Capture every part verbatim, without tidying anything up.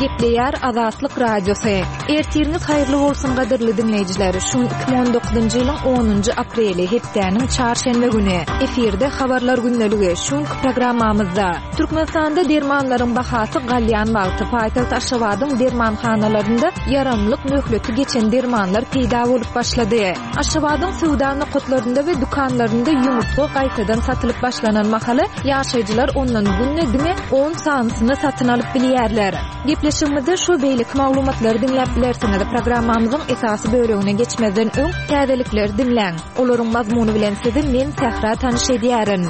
Gepleýär Azatlyk Radiosy. Ertiriňiz haýyrly bolsun gadyrly diňleýjiler. Şu gün iki müň on dokuzynjy ýylyň onunjy apreli, hepdäniň çarşenbe güni. Efirde habarlar gündeligi. Şu günki programmamyzda Türkmenistanda dermanlaryň bahasy galýan wagty paýtagt Aşgabadyň dermanhanalarynda ýaramlyk möhleti geçen dermanlar peýda bolup başlady. Aşgabadyň söwda nokatlarynda we dükanlarynda ýumurtga gaýtadan satylyp başlanan mahaly ýaşaýjylar ondan günde diňe on sanysyny satyn alyp bilýärler. Gepleşigimizde şu beýleki maglumatlary diňläp bilersiňiz. Programmamyzyň esasy bölegine geçmezden öň täzelikleri diňläň. Olaryň mazmuny bilen sizi men Sähra tanyş edýärin.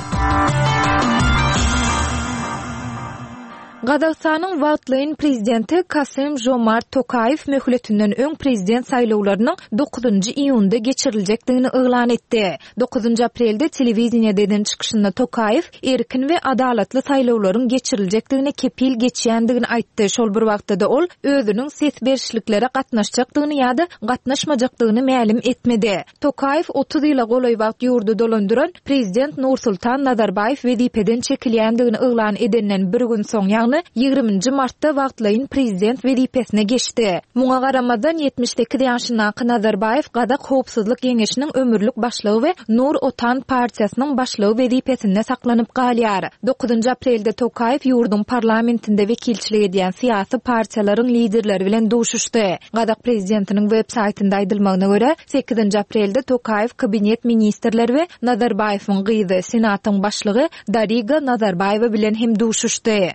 Gazagystanyň wagtlaýyn prezidenti Kasym-Žomart Tokaýew möhletinden öň prezident saýlawlarynyň dokuzynjy iýunda geçiriljekdigini yglan etdi. Dokuzynjy aprelde telewideniýede eden çykyşynda Tokaýew erkin we adalatly saýlawlaryň geçiriljekdigine kepil geçýändigini aýtdy. Şol bir wagtda-da ol özüniň ses berişliklere gatnaşjakdygyny ýa-da gatnaşmajakdygyny mälim etmedi. Tokaýew otuz ýyla golaý wagt ýurdy dolandyran prezident Nursultan Nazarbaýew wezipeden çekilýändigini yglan edenden bir gün soň, ýagny ýigriminji martda wagtlaýyn prezident wezipesine geçdi. Muňa garamazdan ýetmiş sekiz ýaşyndaky Nazarbaýew Gazak Howpsuzlyk Geňeşiniň ömürlik başlygy we Nur Otan partiýasynyň başlygy wezipesinde saklanyp galýar. Dokuzynjy aprelde Tokaýew ýurduň parlamentinde wekilçilik edýän syýasy partiýalaryň liderleri bilen duşuşdy. Gazak prezidentiniň web saýtynda aýdylmagyna görä, sekizinji aprelde Tokaýew kabinet ministrleri we Nazarbaýewiň gyzy, Senatyň başlygy Dariga Nazarbaýewa bilen hem duşuşdy.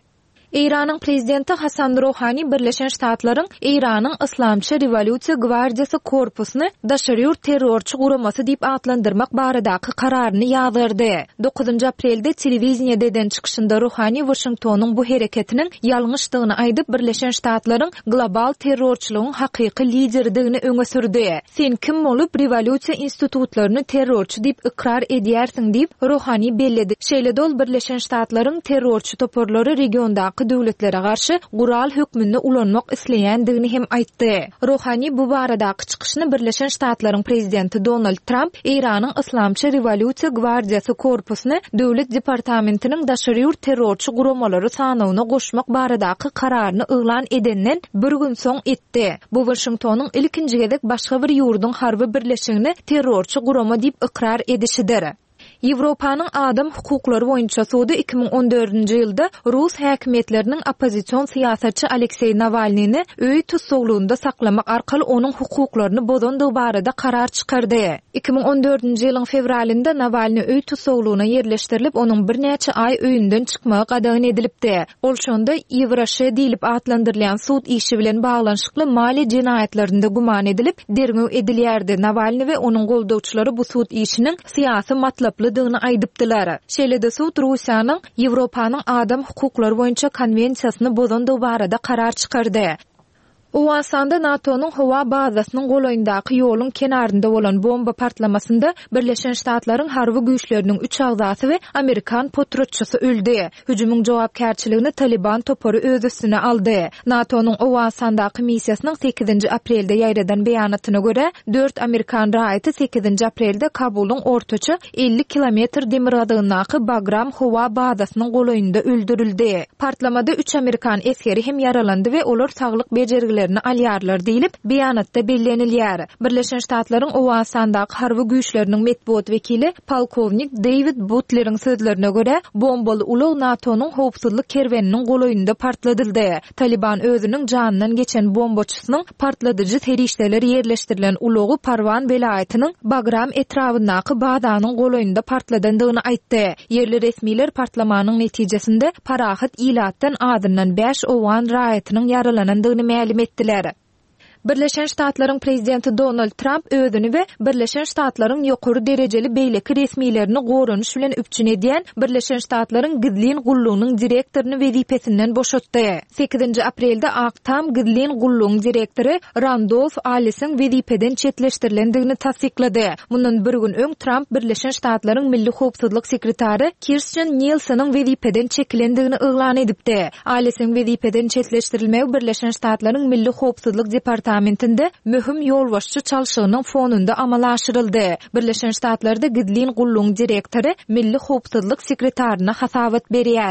Eýranyň prezidenti Hasan Rohani Birleşen Ştatlaryň Eýranyň Yslamçy rewolýusiýa gwardiýasy korpusyny daşary ýurt terrorçy guramasy diýip atlandyrmak baradaky kararyny ýazgardy. Dokuzynjy aprelde telewideniýede eden çykyşynda Rohani Waşingtonyň bu hereketiniň ýalňyşdygyny aýdyp, Birleşen Ştatlaryň global terrorçylygyň hakyky lideridigini öňe sürdi. Sen kim bolup rewolýusiýa institutlaryny terrorçy diýip ykrar edýärsiň diýip, Rohani belledi. Şeýle-de ol Birleşen Ştatlaryň terrorçy toparlary regiondaky döwletlere garşy gural hökmünde ulanmak isleýändigini hem aýtdy. Rohani bu baradaky çykyşyny Birleşen Ştatlaryň prezidenti Donald Tramp Eýranyň Yslamçy rewolýusiýa gwardiýasy korpusyny Döwlet departamentiniň daşary ýurt terrorçy guramalary sanawyna goşmak baradaky kararyny yglan edenden bir gün soň etdi. Bu Waşingtonyň ilkinji gezek başga bir ýurduň harby birleşigini terrorçy gurama diýip ykrar edişidir. Ýewropanyň adam hukuklary boýunça sudy iki müň on dördünji ýylda rus häkimiýetleriniň oppozision syýasatçy Alekseý Nawalnyny öý tussaglygynda saklamak arkaly onuň hukuklaryny bozandygy barada karar çykardy. Iki müň on dördünji ýylyň fewralynda Nawalny öý tussaglygyna ýerleşdirilip, onuň birnäçe aý öýünden çykmagy gadagan edilipdi. Ol şonda Ýewraşe diýlip atlandyrylýan sud işi bilen baglanyşykly maliýe jenaýatlarynda güman edilip, derňew edilýärdi. Nawalny we onuň goldawçylary bu sud işiniň syýasy matlaplydygyny aýdypdylar. Şeýle-de sud Russiýanyň Ýewropanyň adam hukuklary boýunça konwensiýasyny bozandygy barada karar çykardy. Owganystanda NATO-nyň howa bazasynyň golaýyndaky ýoluň kenarynda bolan bomba partlamasynda Birleşen Ştatlaryň harby güýçleriniň üç agzasy we amerikan potratçysy öldi. Hüjümiň jogapkärçiligini Taliban topary öz üstüne aldy. NATO-nyň Owganystandaky missiýasynyň sekizinji aprelde ýaýradan beýanatyna görä, dört amerikan raýaty sekizinji aprelde Kabulyň ortaça elli kilometr demirgazygyndaky Bagram howa bazasynyň golaýynda öldürildi. Partlamada üç amerikan esgeri hem ýaralandy we olar saglyk bejergilerini alýarlar diýlip, beýanatda bellenilýär. Birleşen Ştatlaryň Owganystandaky harby güýçleriniň metbugat wekili polkownik David Butleriň sözlerine görä, bombaly ulag NATO-nyň howpsuzlyk kerweniniň golaýynda partladyldy. Taliban özüniň janyndan geçen bombaçysynyň partladyjy serişdeler ýerleşdirilen ulagy Parwan welaýatynyň Bagram etrabyndaky bazanyň golaýynda partladandygyny aýtdy. Ýerli resmiler partlamanyň netijesinde parahat ilatdan azyndan bäş owgan raýatynyň ýaralanandygyny mälim etdiler. Birleşen Ştatlaryň prezidenti Donald Tramp özüni we Birleşen Ştatlaryň ýokary derejeli beýleki resmilerini goranyş bilen üpjün edýän Birleşen Ştatlaryň gizlin gullugynyň direktoryny wezipesinden boşatdy. Sekizinji aprelde Ak Tam gizlin gullugyň direktory Randolf Allisiň wezipeden çetleşdirilendigini tassyklady. Mundan bir gün öň Tramp Birleşen Ştatlaryň Milli Howpsuzlyk sekretary Kirstjen Nielseniň wezipeden çekilendigini yglan edipdi. Allisiň wezipeden çetleşdirilmegi Birleşen Ştatlaryň Milli Howpsuzlyk departamentinde möhüm ýolbaşçy çalşygynyň fonunda amala aşyryldy. Birleşen Ştatlarda gizlin gullugyň direktory Milli Howpsuzlyk sekretaryna hasabat berýär.